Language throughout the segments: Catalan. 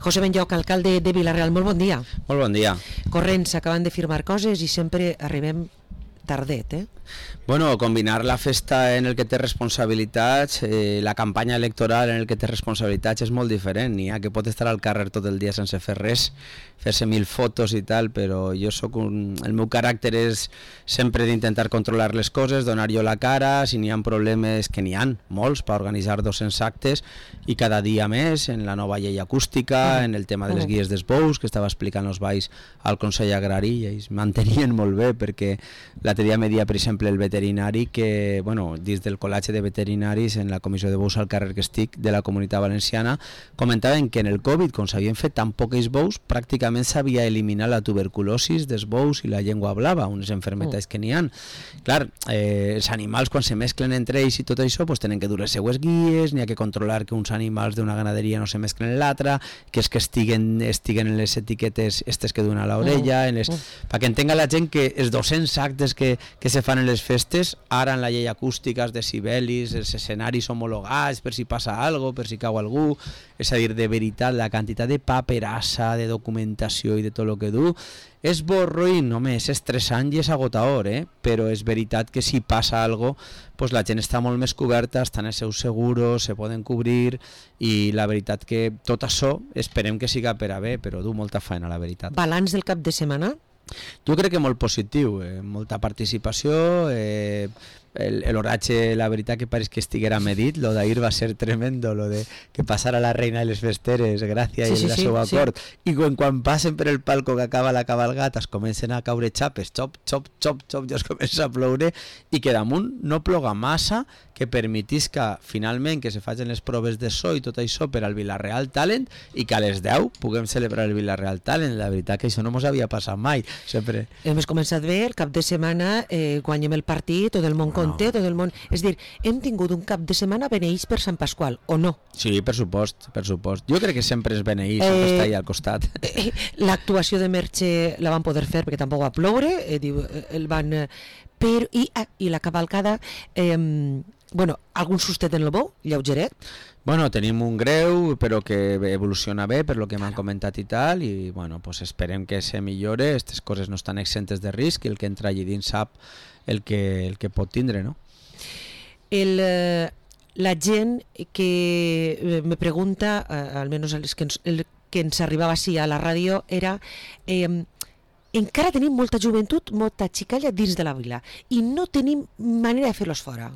José Benlloc, alcalde de Vila-real, molt bon dia. Molt bon dia. Corrents, s'acaben de firmar coses i sempre arribem tardet, eh? Bueno, combinar la festa en el que té responsabilitats, la campanya electoral en el que té responsabilitats és molt diferent. N'hi ha que pot estar al carrer tot el dia sense fer res, fer-se 1000 fotos i tal, però jo el meu caràcter és sempre d'intentar controlar les coses, donar jo la cara, si n'hi ha problemes, que n'hi ha molts, per organitzar 200 actes, i cada dia més, en la nova llei acústica, en el tema de les guies dels bous, que estava explicant els balls al Consell Agrari, i ells mantenien molt bé, perquè l'altre dia me dia, per exemple, el veterinari que, bueno, dins del col·legi de veterinaris en la comissió de bous al carrer que estic de la Comunitat Valenciana, comentaven que en el Covid, com s'havien fet tan pocs bous, pràcticament s'havia eliminat la tuberculosis dels bous i la llengua blava, unes malalties que n'hi ha. Clar, els animals quan se mesclen entre ells i tot això, pues, tenen que dur les seues guies, n'hi ha que controlar que uns animals d'una ganaderia no se mesclen en l'altra, que és que estiguen en les etiquetes estes que duen a l'orella, perquè entenga la gent que els 200 actes que se fan en les festes, ara en la llei acústica, els decibelis, els escenaris homologats per si passa alguna cosa, per si cau algú, és a dir, de veritat, la quantitat de paperassa, de documentació i de tot el que du, és borroïn, home, és estressant i és agotador, però és veritat que si passa alguna cosa, pues la gent està molt més coberta, estan els seus seguros, se poden cobrir, i la veritat que tot això esperem que siga per a bé, però du molta feina, la veritat. Balanç del cap de setmana? Jo crec que molt positiu, molta participació, l'oratge, la veritat que pareix que estiguera medit, lo d'ahir va ser tremendo, lo de que passara la reina i les festeres, gràcia i la seva cort, i quan passen per el palco que acaba la cabalgata es comencen a caure xapes, xop, xop, xop, xop, ja es comença a ploure, i que damunt no ploga massa, que permetisca finalment que se facin les proves de so i tot això per al Vila-real Talent, i que a les 10 puguem celebrar el Vila-real Talent. La veritat que això no mos havia passat mai, sempre. Hem començat bé, el cap de setmana guanyem el partit, tot el món conté, tot el món... És dir, hem tingut un cap de setmana beneïts per Sant Pasqual, o no? Sí, per supost, per supost. Jo crec que sempre és beneït, sempre està allà al costat. L'actuació de Merche la van poder fer perquè tampoc va ploure, el van... Però, i la cavalcada, bueno, algun sustet en el bou, lleugeret? Bueno, tenim un greu, però que evoluciona bé per lo que m'han comentat i tal, i bueno, pues esperem que se millore, aquestes coses no estan exentes de risc, i el que entra allí dins sap el que pot tindre, no? La gent que me pregunta, almenys el que ens arribava així a la ràdio, era... encara tenim molta joventut, molta xicalla dins de la vila, i no tenim manera de fer-los fora.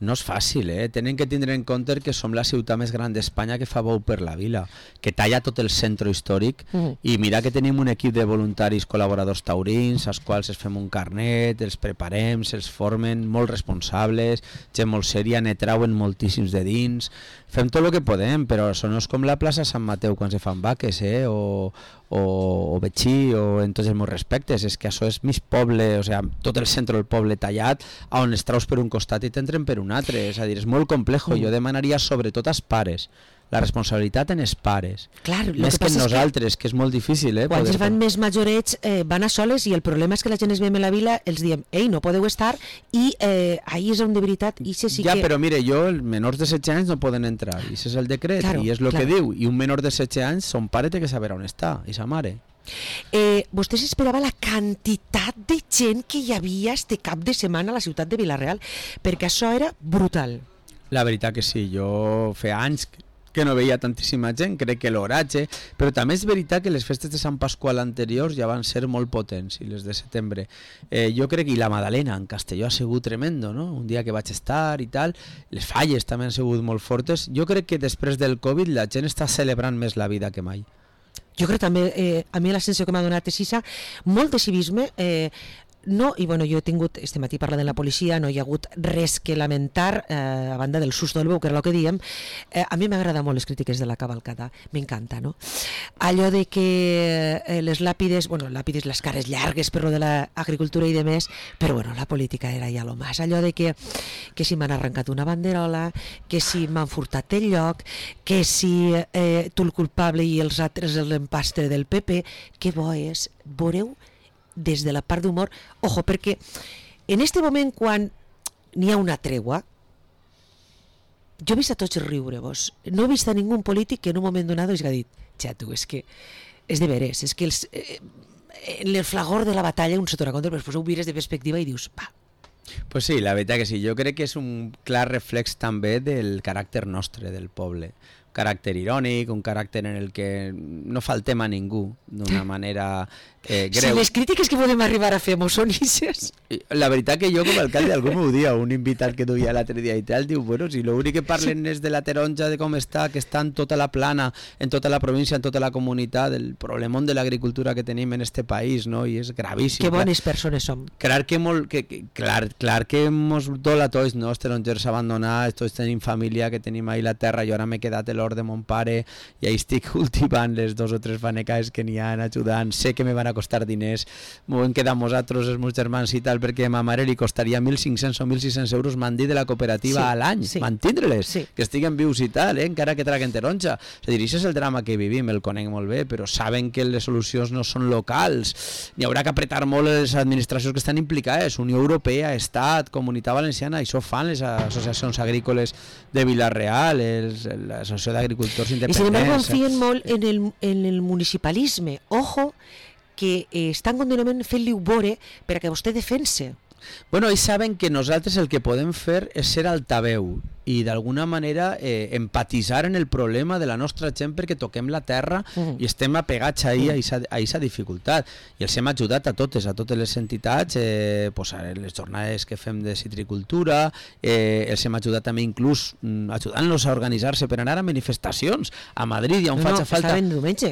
No és fàcil, tenen que tindre en compte que som la ciutat més gran d'Espanya que fa bou per la vila, que talla tot el centre històric, i mira que tenim un equip de voluntaris col·laboradors taurins, als quals es fem un carnet, els preparem, se'ls formen, molt responsables, gent molt sèria, ne trauen moltíssims de dins, fem tot el que podem, però això no és com la plaça Sant Mateu quan se fan vaques, o Betxí, o en tots els meus respectes, és que això és mig poble, o sigui, tot el centre del poble tallat, on es traus per un costat i t'entren per un altre, és a dir, és molt complejo. Jo demanaria sobretot als pares, la responsabilitat en els pares, clar, més que en nosaltres, que és molt difícil. Quan es van més majorets van a soles, i el problema és que la gent es ve a la vila, els diem, ei, no podeu estar, i ahí és on de veritat ja, però mire, els menors de 16 anys no poden entrar, i això és el decret, i és el que diu, i un menor de 16 anys, son pare té que saber on està, i sa mare. Vostè s'esperava la quantitat de gent que hi havia este cap de setmana a la ciutat de Vila-real, perquè això era brutal. La veritat que sí, jo feia anys que no veia tantíssima gent, crec que l'oratge, però també és veritat que les festes de Sant Pasqual anteriors ja van ser molt potents, i les de setembre. Jo crec que la Madalena en Castelló ha sigut tremendo, no? Un dia que vaig estar i tal, les falles també han sigut molt fortes. Jo crec que després del Covid la gent està celebrant més la vida que mai. Jo crec també, a mi la sensació que m'ha donat és molt de civisme, no, i bueno, jo he tingut, este matí parlant de la policia, no hi ha hagut res que lamentar, a banda del susto del bou, que era el que diem. A mi m'agrada molt les crítiques de la cavalcada, m'encanta, no? Allò de que les làpides, les cares llargues per lo de l'agricultura i demés, però bueno, la política era ja lo más, allò de que si m'han arrencat una banderola, que si m'han furtat el lloc, que si tu el culpable i els altres l'empastre del PP, que bo és, veureu, des de la part d'humor, ojo, perquè en este moment quan n'hi ha una tregua, jo he vist a tots riure, vos. No he vist a ningú polític que en un moment donat hagi dit, xato, és que és de veres, és que en el flagor de la batalla un se t'ho contra, però després ho mires de perspectiva i dius, va. Pues sí, la veritat que sí. Jo crec que és un clar reflex també del caràcter nostre, del poble. Un caràcter irònic, un caràcter en el que no faltem a ningú d'una manera greu. Si les crítiques que podem arribar a fer mos són ixes. La veritat que jo com a alcalde algú m'ho dia, un invitat que duia l'altre dia i tal, diu, bueno, si l'únic que parlen és de la taronja, de com està, que està en tota la plana, en tota la província, en tota la comunitat, el problemón de l'agricultura que tenim en este país, no? I és gravíssim. Que bones persones som. Clar que mos dol a tots, no? Els tarongers abandonats, tots tenim família, que tenim ahí la terra, jo ara m'he quedat l'hort de mon pare i ahí estic cultivant les 2 o 3 fanecaes que n'hi ha ajudant, sé que me van a costar diners, m'ho hem quedat nosaltres, els meus germans i tal, perquè a ma mare li costaria 1.500 o 1.600 euros mandir de la cooperativa a l'any, mantindre-les, que estiguen vius i tal, encara que traguen taronja. És a dir, això és el drama que vivim, el conec molt bé, però saben que les solucions no són locals, n'hi haurà que apretar molt les administracions que estan implicades, Unió Europea, Estat, Comunitat Valenciana, això fan les associacions agrícoles de Vila-real, l'associació d'agricultors independents. I sin embargo confien molt en el municipalisme. Ojo, que estan contínuament fent-li veure per a que vostè defense. Bueno, ells saben que nosaltres el que podem fer és ser altaveu i d'alguna manera empatitzar en el problema de la nostra gent perquè toquem la terra i estem apegats a aquesta dificultat. I els hem ajudat a totes les entitats, pues, a les jornades que fem de citricultura, els hem ajudat també inclús ajudant-los a organitzar-se per anar a manifestacions a Madrid, ja on faig falta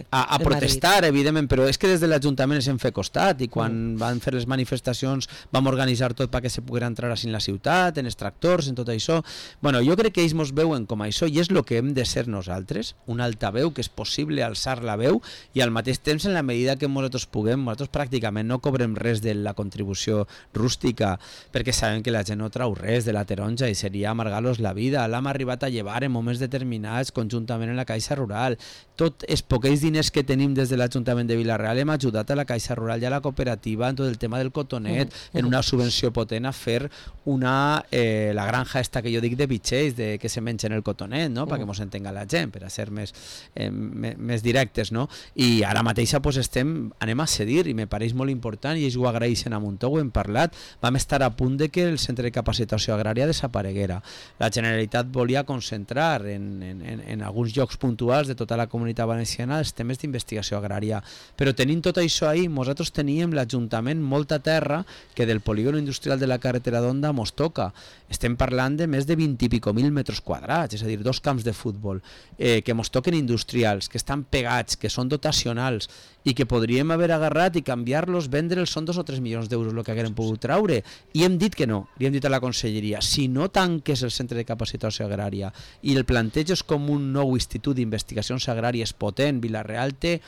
a protestar, evidentment, però és que des de l'Ajuntament ens hem fet costat i quan van fer les manifestacions vam organitzar tot perquè se poguera entrar així en la ciutat, en els tractors, en tot això. Bueno, jo crec que ells mos veuen com això i és el que hem de ser nosaltres, un altaveu, que és possible alçar la veu i al mateix temps en la medida que nosaltres puguem, nosaltres pràcticament no cobrem res de la contribució rústica perquè sabem que la gent no trau res de la taronja i seria amargar-los la vida. L'hem arribat a llevar en moments determinats conjuntament en la Caixa Rural. Tots els poquets diners que tenim des de l'Ajuntament de Vila-real hem ajudat a la Caixa Rural i a la cooperativa en tot el tema del cotonet, en una subvenció potent a fer la granja esta que jo dic de bitxers, que se mengen el cotonet, no? Perquè mos entenga la gent, per a ser més directes, no? I ara mateixa pues, anem a cedir i me pareix molt important i ells ho agraeixen a Montó, ho hem parlat, vam estar a punt de que el centre de capacitació agrària desapareguera. La Generalitat volia concentrar en alguns llocs puntuals de tota la comunitat valenciana els temes d'investigació agrària, però tenint tot això ahí, nosaltres teníem l'Ajuntament molta terra que del polígon industrial de la carretera d'Onda mos toca. Estem parlant de més de 20 i pico mil metres quadrats, és a dir, 2 camps de futbol que mos toquen industrials, que estan pegats, que són dotacionals i que podríem haver agarrat i canviar-los, vendre'ls, són 2 o 3 milions d'euros el que haguem pogut traure, i hem dit que no, li hem dit a la conselleria, si no tanques el centre de capacitació agrària i el planteges com un nou institut d'investigacions agràries potent, Vila-real té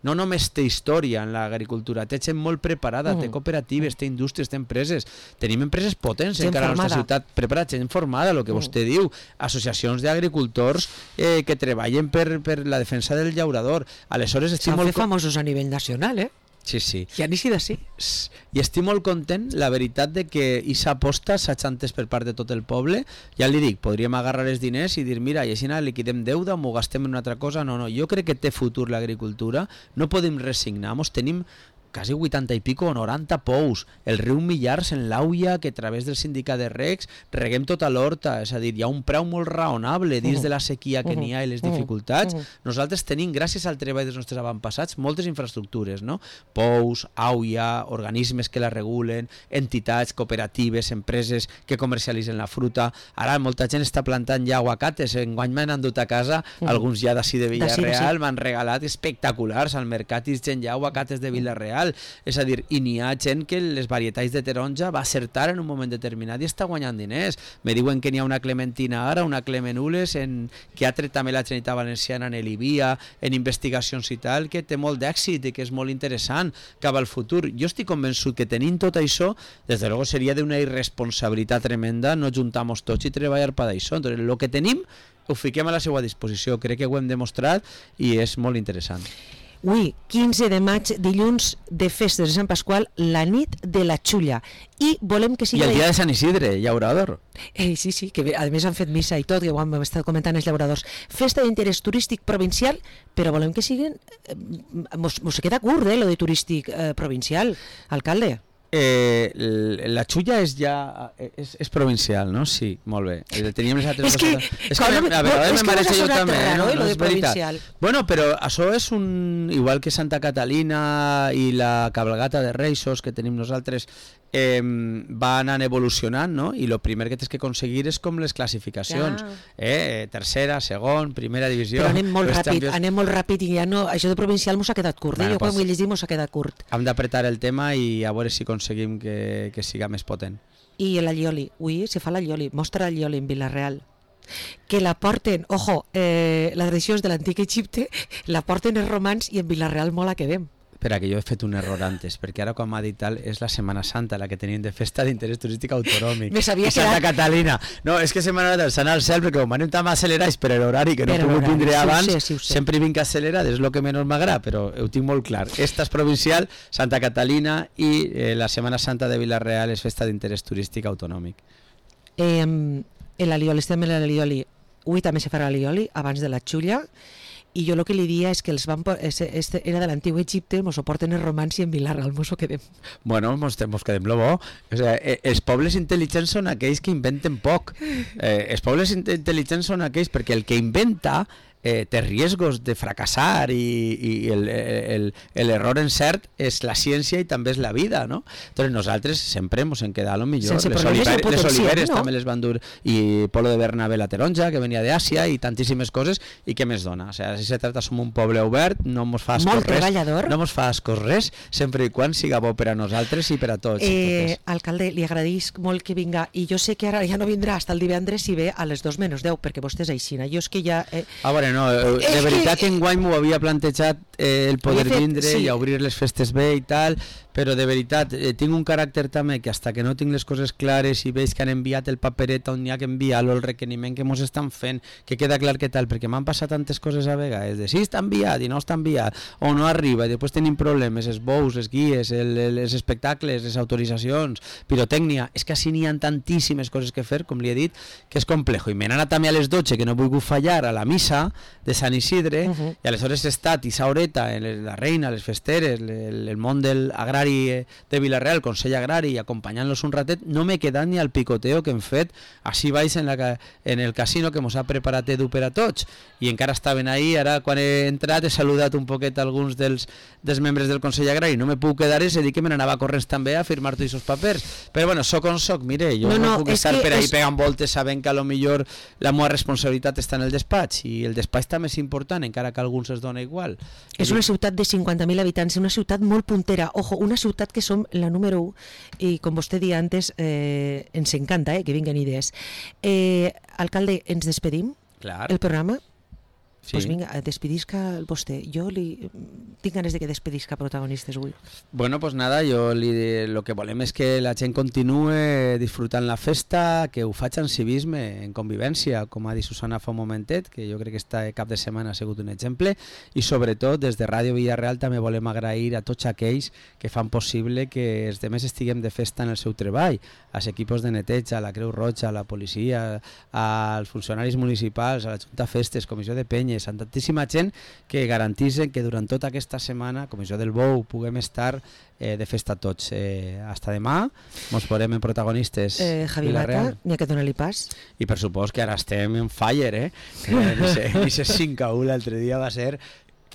no només té història en l'agricultura, té gent molt preparada, té cooperatives, té indústries, té empreses, tenim empreses potents encara a la nostra ciutat, preparada, gent formada, el que vostè diu, associacions d'agricultors que treballen per la defensa del llaurador. Aleshores estic molt... S'han fet famosos a nivell nacional, Sí, sí. I han sigut així. I estic molt content, la veritat, de que aquesta aposta s'ha entès per part de tot el poble. Ja li dic, podríem agarrar els diners i dir, mira, i així liquidem deuda o m'ho gastem en una altra cosa. No, jo crec que té futur l'agricultura, no podem resignar-nos, tenim quasi 80 i pico o 90 pous, el riu Millars en l'Auia, que a través del sindicat de regs reguem tota l'horta, és a dir, hi ha un preu molt raonable dins de la sequia que n'hi ha i les dificultats. Nosaltres tenim, gràcies al treball dels nostres avantpassats, moltes infraestructures, no? Pous, Auia, organismes que la regulen, entitats, cooperatives, empreses que comercialitzen la fruta. Ara molta gent està plantant ja aguacates, enguany m'han endut a casa, alguns ja d'ací de Vila-real, m'han regalat espectaculars al mercat i gent ja aguacates de Vila-real. És a dir, i n'hi ha gent que les varietats de taronja va acertar en un moment determinat i està guanyant diners. Me diuen que n'hi ha una clementina ara, una clemenules, que ha tret també la Generalitat Valenciana en l'Ivia, en investigacions i tal, que té molt d'èxit i que és molt interessant cap al futur. Jo estic convençut que tenint tot això, des de luego seria d'una irresponsabilitat tremenda no juntar-nos tots i treballar per això. Entonces, el que tenim ho fiquem a la seva disposició. Crec que ho hem demostrat i és molt interessant. Ui, 15 de maig, dilluns de festes de Sant Pasqual, la nit de la Xulla. I volem que sigui... I el dia de Sant Isidre, llaurador. Sí, que a més han fet missa i tot, que ho hem estat comentant els llauradors. Festa d'interès turístic provincial, però volem que siguin... Mos queda curt, lo de turístic provincial, alcalde. La Xulla és provincial, no? Sí, molt bé. Teníem les altres coses. És que a vegades me mereix jo també, no? Lo de provincial. Bueno, però això és igual que Santa Catalina i la cabalgata de Reis que tenim nosaltres, va anant evolucionant, no? I el primer que tens que aconseguir és com les classificacions. Tercera, segon, primera divisió... Però anem molt ràpid i ja no... Això de provincial mos ha quedat curt, jo quan ho he llegit mos ha quedat curt. Hem d'apretar el tema i a veure si aconseguim que siga més potent. I l'allioli, se fa l'allioli, mostra l'allioli en Vila-real. Que la porten, la tradició és de l'antic Egipte, la porten els romans i en Vila-real molt la quedem. Espera, que jo he fet un error antes, perquè ara quan m'ha dit tal és la Setmana Santa, la que tenim de festa d'interès turístic autonòmic. Me sabia que Santa Catalina. No, és que Setmana Santa s'ha anat al cel perquè com anem tan accelerats per l'horari que no he pogut vindre abans, sempre vinc accelerat, és el que menys m'agrada, però ho tinc molt clar. Esta és provincial, Santa Catalina, i la Setmana Santa de Vila-real és festa d'interès turístic autonòmic. L'allioli, estem en l'allioli. Avui també se farà l'allioli abans de la Xulla. I jo el que li dia és que era de l'antic Egipte, mos ho porten els romans i en Vila-real mos ho quedem. Bueno, mos quedem lo bo. O sea, els pobles intel·ligents són aquells que inventen poc. Els pobles intel·ligents són aquells perquè el que inventa té riscos de fracassar i l'error encert és la ciència i també és la vida, no? Entonces nosaltres sempre ens hem quedat lo millor. Les oliveres també les van dur, i Polo de Bernabé la taronja, que venia d'Àsia, i tantíssimes coses, i què més dona? O sea, si se trata, som un poble obert, no mos fa ascos res, sempre i quan siga bo per a nosaltres i per a tots. Alcalde, li agraïsc molt que vinga, i jo sé que ara ja no vindrà fins el divendres si ve a les 2:10, perquè vostè és aixina. Jo és que ja... No, de veritat que enguany m'ho havia plantejat el poder vindre i obrir les festes bé i tal, però de veritat tinc un caràcter també que hasta que no tinc les coses clares i veig que han enviat el paperet on hi ha que enviar-lo, el requeriment que mos estan fent, que queda clar que tal, perquè m'han passat tantes coses a vegades, de si està enviat i no està enviat, o no arriba, i després tenim problemes, els bous, les guies, els espectacles, les autoritzacions, pirotècnia, és que així n'hi ha tantíssimes coses que fer, com li he dit, que és complejo, i m'he anat també a les 12, que no he volgut fallar a la missa de Sant Isidre, i aleshores he estat i Saureta, la Reina, les festeres, el món del agrari de Vila-real, el Consell Agrari, i acompanyant-los un ratet, no m'he quedat ni al picoteo que hem fet així baix en el casino que mos ha preparat Edu per a tots, i encara estaven ahí. Ara quan he entrat he saludat un poquet alguns dels membres del Consell Agrari, no me puc quedar, és a dir que me n'anava corrents també a firmar tots aquests papers, però bueno, soc on soc, mire, jo no puc estar per ahí pegant voltes sabent que a lo millor la meva responsabilitat està en el despatx, i el despatx també és important, encara que a alguns es dona igual. És una ciutat de 50.000 habitants, una ciutat molt puntera, ojo, una ciutat que som la número 1, i com vostè dia antes, ens encanta que vinguen idees. Alcalde, ens despedim? Clar. El programa? Sí. Pues vinga, despedisca vostè. Jo tinc ganes de que despedisca protagonistes avui. Bueno, pues nada, lo que volem és que la gent continue disfrutant la festa, que ho faig en civisme, en convivència, com ha dit Susana fa un momentet, que jo crec que este cap de setmana ha sigut un exemple, i sobretot des de Ràdio Vila-real també volem agrair a tots aquells que fan possible que els demés estiguem de festa en el seu treball, als equips de neteja, a la Creu Roja, a la policia, als funcionaris municipals, a la Junta Festes, Comissió de Penyes, a tantíssima gent que garanteixen que durant tota aquesta setmana, Comissió del Bou, puguem estar de festa tots. Hasta demà, mos veurem en protagonistes. Javi Mata, n'hi ha que donar-li pas. I per supost que ara estem en fire, Ese 5-1 l'altre dia va ser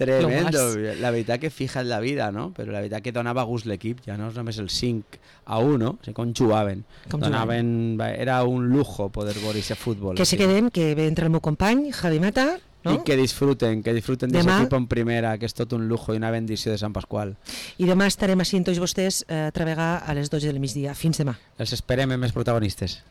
tremendo. La veritat que fija en la vida, no? Però la veritat que donava gust l'equip, ja no és només el 5-1, no? O sigui, com jugaven. Era un lujo poder veure aquest futbol. Que se quedem, que ve entre el meu company, Javi Mata, no? I que disfruten d'aquest equip en primera, que és tot un lujo i una bendició de Sant Pasqual. I demà estarem així amb tots vostès a treballar a les 12 del migdia. Fins demà. Els esperem amb més protagonistes.